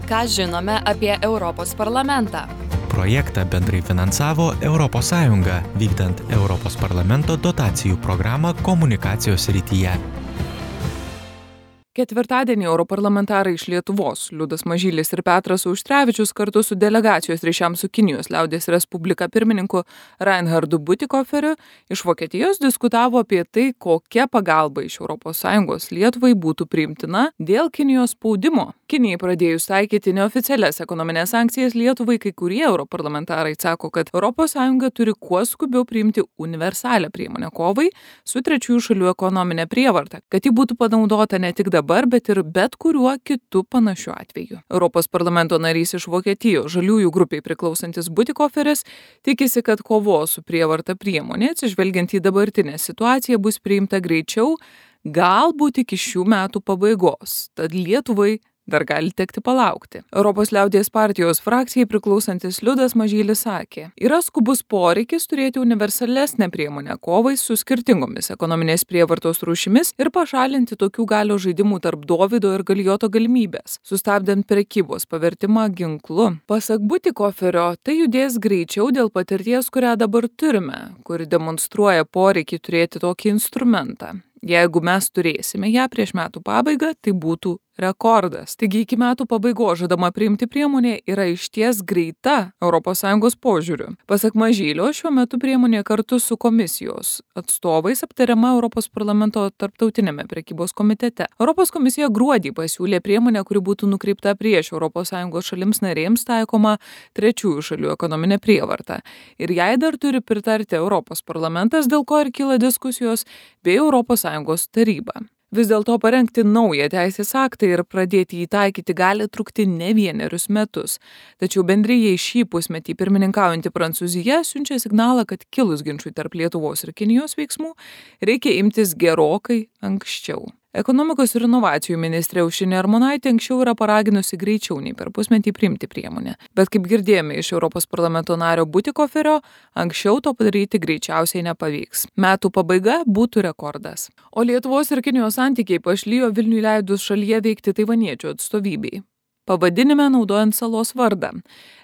Ką žinome apie Europos parlamentą? Projektą bendrai finansavo ES, vykdant Europos parlamento dotacijų programą komunikacijos srityje. Ketvirtadienį europarlamentarai iš Lietuvos Liudas Mažylis ir Petras Auštrevičius kartu su delegacijos ryšiams su Kinijos liaudies respublika pirmininku Reinhardu Butikoferiu iš Vokietijos diskutavo apie tai, kokia pagalba iš ES Lietuvai būtų priimtina dėl Kinijos spaudimo. Kinijai pradėjus taikyti neoficialias ekonominės sankcijas Lietuvai, kai kurie europarlamentarai sako, kad ES turi kuo skubiau priimti universalią priemonę kovai su trečiųjų šalių ekonominė prievarta, kad ji būtų panaudota ne tik dabar, bet ir bet kuriuo kitu panašiu atveju. Europos parlamento narys iš Vokietijos žaliųjų grupiai priklausantis Butikoferis tikisi, kad kovos su prievarta priemonė, atsižvelgiant į dabartinę situaciją, bus priimta greičiau, galbūt iki šių metų pabaigos. Tad Lietuvai dar gali tekti palaukti. Europos liaudies partijos frakcijai priklausantis Liudas Mažylis sakė, yra skubus poreikis turėti universalesnę priemonę kovai su skirtingomis ekonominės prievartos rūšimis ir pašalinti tokių galios žaidimų tarp Dovydo ir Galijoto galimybės, sustabdant prekybos pavertimą ginklu. Pasak Butikoferio, tai judės greičiau dėl patirties, kurią dabar turime, kuri demonstruoja poreikį turėti tokį instrumentą. Jeigu mes turėsime ją prieš metų pabaigą, tai būtų rekordas. Taigi iki metų pabaigos žadama priimti priemonė yra išties greita ES požiūriu. Pasak Mažylio, šiuo metu priemonė kartu su komisijos atstovais aptariama Europos parlamento tarptautinėme prekybos komitete. Europos komisija gruodį pasiūlė priemonę, kuri būtų nukreipta prieš ES šalims narėms taikoma trečiųjų šalių ekonominė prievarta. Ir jai dar turi pritarti Europos parlamentas, dėl ko ir kyla diskusijos, bei ES taryba. Vis dėlto parengti naują teisės aktą ir pradėti jį taikyti gali trukti ne vienerius metus. Tačiau bendrijai šį pusmetį pirmininkaujanti Prancūzija siunčia signalą, kad kilus ginčui tarp Lietuvos ir Kinijos veiksmų reikia imtis gerokai anksčiau. Ekonomikos ir inovacijų ministrė Aušrinė Armonaitė anksčiau yra paraginusi greičiau nei per pusmetį priimti priemonę. Bet kaip girdėjome iš Europos parlamento nario Butikoferio, anksčiau to padaryti greičiausiai nepavyks. Metų pabaiga būtų rekordas. O Lietuvos ir Kinijos santykiai pašlijo Vilniui leidus šalyje veikti taivaniečių atstovybei. Pavadinime naudojant salos vardą.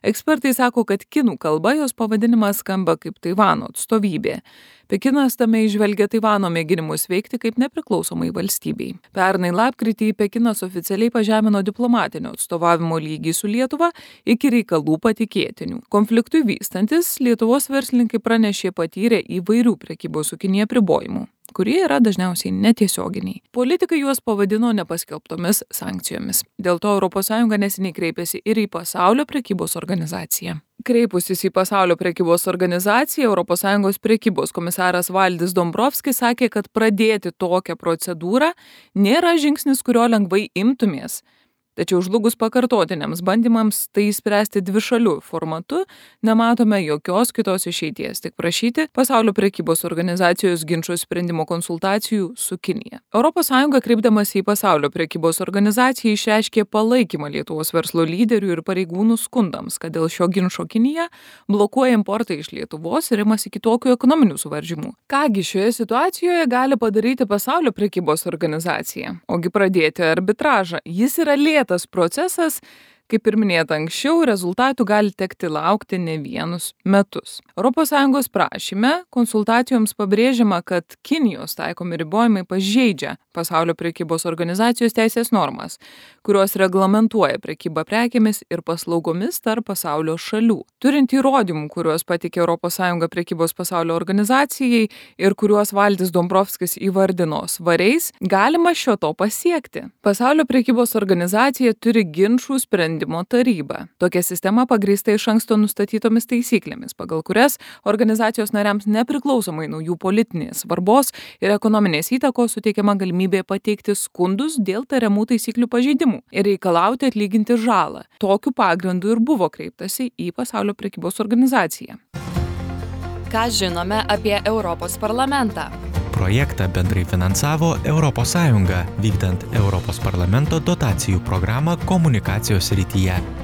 Ekspertai sako, kad kinų kalba jos pavadinimas skamba kaip Taivano atstovybė. Pekinas tame įžvelgia Taivano mėginimus veikti kaip nepriklausomai valstybei. Pernai lapkritį Pekinas oficialiai pažemino diplomatinio atstovavimo lygį su Lietuva iki reikalų patikėtinių. Konfliktui vystantis, Lietuvos verslininkai pranešė patyrę įvairių prekybos su Kinija apribojimų, kurie yra dažniausiai netiesioginiai. Politikai juos pavadino nepaskelbtomis sankcijomis. Dėl to ES neseniai kreipėsi ir į Pasaulio prekybos organizaciją. Kreipusis į Pasaulio prekybos organizaciją, ES prekybos komisaras Valdis Dombrovskis sakė, kad pradėti tokią procedūrą nėra žingsnis, kurio lengvai imtumės. Tačiau žlugus pakartotiniams bandymams tai spręsti dvišalių formatu, nematome jokios kitos išeities, tik prašyti Pasaulio prekybos organizacijos ginčų sprendimo konsultacijų su Kinija. ES kreipdamas į Pasaulio prekybos organizaciją išreiškė palaikymą Lietuvos verslo lyderių ir pareigūnų skundams, kad dėl šio ginčo Kinija blokuoja importą iš Lietuvos ir imasi kitokių ekonominių suvaržymų. Kągi šioje situacijoje gali padaryti Pasaulio prekybos organizacija? Ogi pradėti arbitražą. Jis yra tas procesas, kaip ir minėta anksčiau, rezultatų gali tekti laukti ne vienus metus. ES prašyme konsultacijoms pabrėžiama, kad Kinijos taikomi ribojimai pažeidžia Pasaulio prekybos organizacijos teisės normas, kurios reglamentuoja prekybą prekėmis ir paslaugomis tarp pasaulio šalių. Turint įrodymų, kuriuos pateikė ES prekybos pasaulio organizacijai ir kuriuos Valdis Dombrovskis įvardino svariais, galima šio to pasiekti. Pasaulio prekybos organizacija turi ginčų sprendimo tarybą. Tokia sistema pagrįsta iš anksto nustatytomis taisyklėmis, pagal kurias organizacijos nariams nepriklausomai nuo jų politinės svarbos ir ekonominės įtakos suteikiama galimybė pateikti skundus dėl tariamų taisyklių pažeidimų ir reikalauti atlyginti žalą. Tokiu pagrindu ir buvo kreiptasi į Pasaulio prekybos organizaciją. Ką žinome apie Europos parlamentą? Projektą bendrai finansavo ES, vykdant Europos parlamento dotacijų programą komunikacijos srityje.